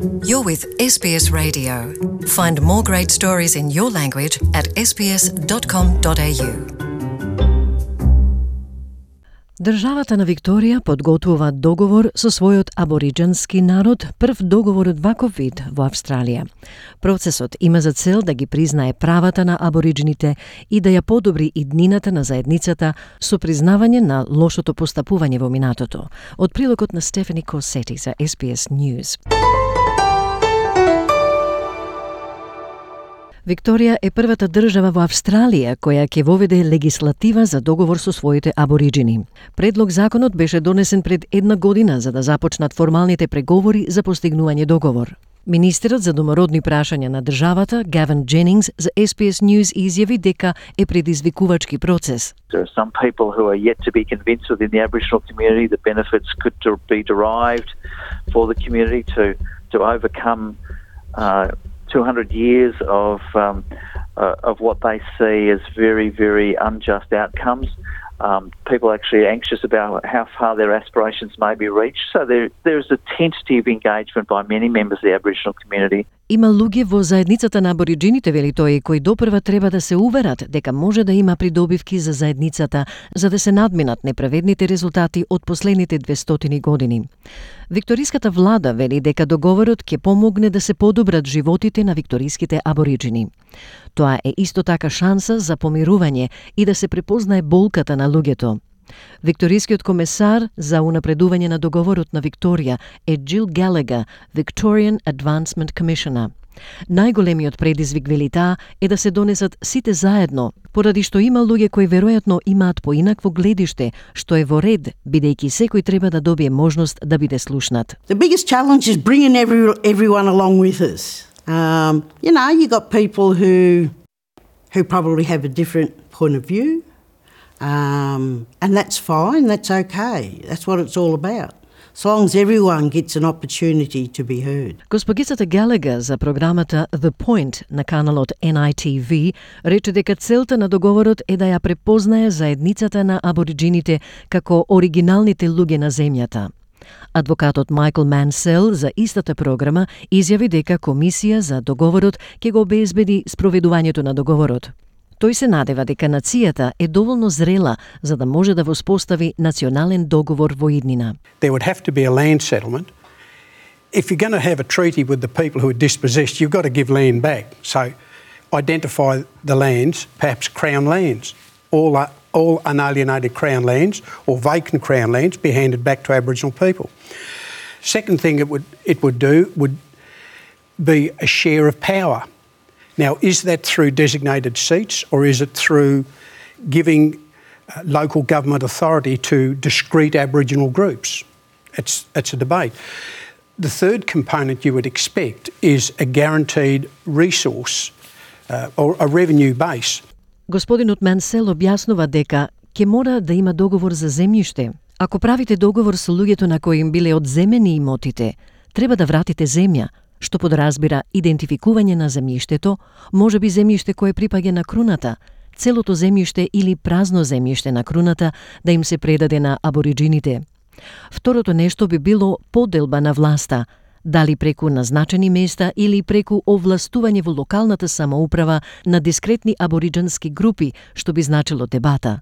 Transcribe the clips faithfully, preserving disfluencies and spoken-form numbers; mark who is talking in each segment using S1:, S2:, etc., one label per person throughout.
S1: You're with S B S Radio. Find more great stories in your language at s b s dot com dot a u.
S2: Државата на Викторија подготвува договор со својот абориџански народ, прв договор од ваков вид во Австралија. Процесот има за цел да ги признае правата на абориџините и да ја подобри иднината на заедницата со признавање на лошото постапување во минатото. Од прилогот на Стефани Косети за S B S News. Викторија е првата држава во Австралија која ќе воведе легислатива за договор со своите абориџини. Предлог законот беше донесен пред една година за да започнат формалните преговори за постигнување договор. Министерот за домородни прашања на државата, Гавин Дженингс, за S B S News изјави дека е предизвикувачки процес.
S3: There are some people who are yet to be convinced within the Aboriginal community that benefits could be derived for the community to to overcome uh, two hundred years of um, uh, of what they see as very, very unjust outcomes. Um, people are actually anxious about how far their aspirations may be reached. So there, there is a tentative engagement by many members of the Aboriginal community.
S2: Има луѓе во заедницата на абориџините, вели тој, кои допрва треба да се уверат дека може да има придобивки за заедницата, за да се надминат неправедните резултати од последните двестотини години. Викториската влада вели дека договорот ќе помогне да се подобрат животите на викториските абориџини. Тоа е исто така шанса за помирување и да се препознае болката на луѓето. Викторискиот комесар за унапредување на договорот на Викторија е Jill Gallagher, Victorian Advancement Commissioner. Најголемиот предизвик, вели таа, е да се донесат сите заедно, поради што има луѓе кои веројатно имаат поинакво гледиште, што е во ред, бидејќи секој треба да добие можност да биде слушнат.
S4: The biggest challenge is bringing every, everyone along with us. Um, you know, you got people who who probably have a different point of view. Um, and that's fine, that's okay. That's what it's all about. So long as everyone gets an opportunity to be heard.
S2: Госпогицата Галагер за програмата The Point на каналот N I T V рече дека целта на договорот е да ја препознае заедницата на абориџините како оригиналните луѓе на земјата. Адвокатот Майкл Мансел за истата програма изјави дека комисија за договорот ќе го обезбеди спроведувањето на договорот. Тој се надева дека нацијата е доволно зрела за да може да воспостави национален договор во иднина.
S5: There would have to be a land settlement. If you're going to have a treaty with the people who are dispossessed, you've got to give land back. So identify the lands, perhaps crown lands, all uh, all unalienated crown lands or vacant crown lands be handed back to Aboriginal people. Second thing it would it would do would be a share of power. Now, is that through designated seats or is it through giving uh, local government authority to discrete Aboriginal groups? It's, it's a debate. The third component you would expect is a guaranteed resource uh, or a revenue base.
S2: Господинот Мансел објаснува дека ќе мора да има договор за земјиште. Ако правите договор со луѓето на кои им биле одземени имотите, треба да вратите земја, што подразбира идентификување на земјиштето, можеби земјиште кое припаѓа на круната, целото земјиште или празно земјиште на круната да им се предаде на абориџините. Второто нешто би било поделба на власта, дали преку назначени места или преку овластување во локалната самоуправа на дискретни абориџански групи, што би значило дебата.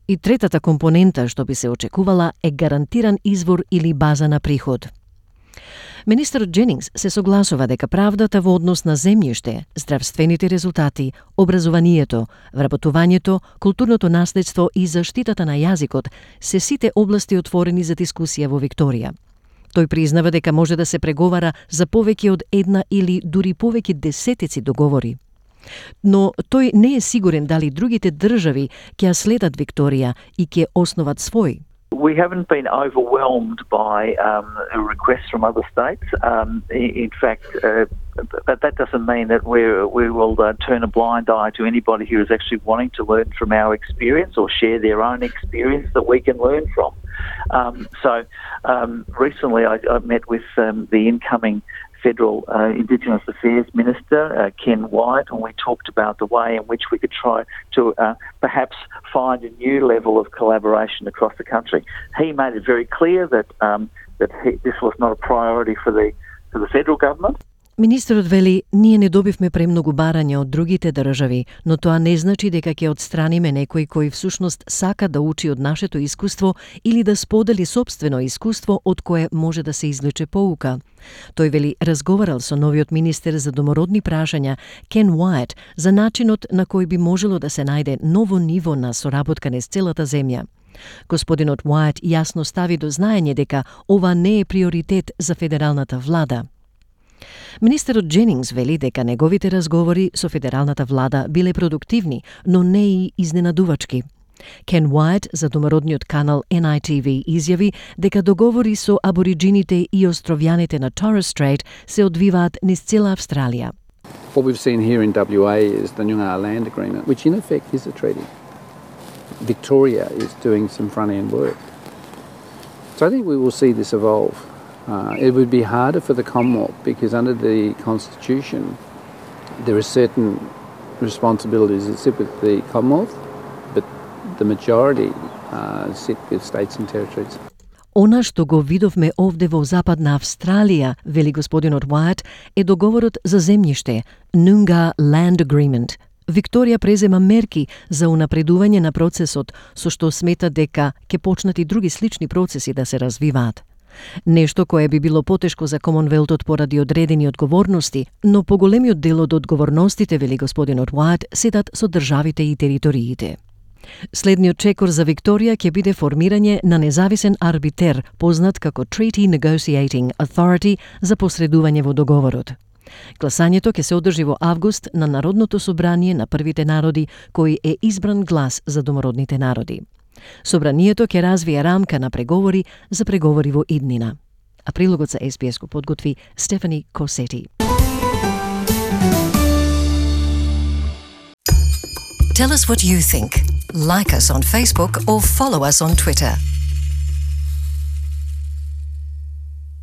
S2: И третата компонента што би се очекувала е гарантиран извор или база на приход. Министерот Дженингс се согласува дека правдата во однос на земјиште, здравствените резултати, образованието, вработувањето, културното наследство и заштитата на јазикот се сите области отворени за дискусија во Викторија. Тој признава дека може да се преговара за повеќе од една или дури повеќе десетици договори. Но тој не е сигурен дали другите држави ќе ја следат Викторија и ќе основат свој.
S3: We haven't been overwhelmed by um, requests from other states. Um, in fact, uh, but that doesn't mean that we we will uh, turn a blind eye to anybody who is actually wanting to learn from our experience or share their own experience that we can learn from. Um, so um, recently I, I met with um, the incoming Federal uh, Indigenous Affairs Minister, uh, Ken Wyatt, and we talked about the way in which we could try to uh, perhaps find a new level of collaboration across the country. He made it very clear that um, that he, this was not a priority for the to the federal government.
S2: Министерот вели, ние не добивме премногу барања од другите држави, но тоа не значи дека ќе отстраниме некој кој всушност сака да учи од нашето искуство или да сподели сопствено искуство од кое може да се извлече поука. Тој вели разговарал со новиот министер за домородни прашања Кен Уајт за начинот на кој би можело да се најде ново ниво на соработка низ целата земја. Господинот Уајт јасно стави до знаење дека ова не е приоритет за федералната влада. Министерот Дженингс вели дека неговите разговори со федералната влада биле продуктивни, но не и изненадувачки. Кен Уајт за домородниот канал Ен Ай Ти Ви изјави дека договори со абориджините и островјаните на Торres Strait се одвиваат низ цела Австралија.
S6: What we've seen here in W A is the Noongar Land Agreement, which in effect is a treaty. Victoria is doing some front-end work. So I think we will see this evolve. Uh, it would be harder for the Commonwealth because under the Constitution there are certain responsibilities that sit with the Commonwealth, but the majority uh, sit with states and territories.
S2: Она што го видовме овде во Западна Австралија, вели господинот Уајт, е договорот за земјиште, Noongar Land Agreement. Викторија презема мерки за унапредување на процесот, со што смета дека ќе почнат и други слични процеси да се развиваат. Нешто кое би било потешко за Комонвелтот поради одредени одговорности, но поголемиот дел од одговорностите, вели господинот Уајт, седат со државите и териториите. Следниот чекор за Викторија ќе биде формирање на независен арбитер, познат како Treaty Negotiating Authority, за посредување во договорот. Гласањето ќе се одржи во август на Народното собрание на првите народи, кој е избран глас за домородните народи. Собранието ќе развие рамка на преговори за преговори во иднина. А прилогот за Ес Би Ес го подготви Стефани Косети.
S1: Tell us what you think. Like us on Facebook or follow us on Twitter.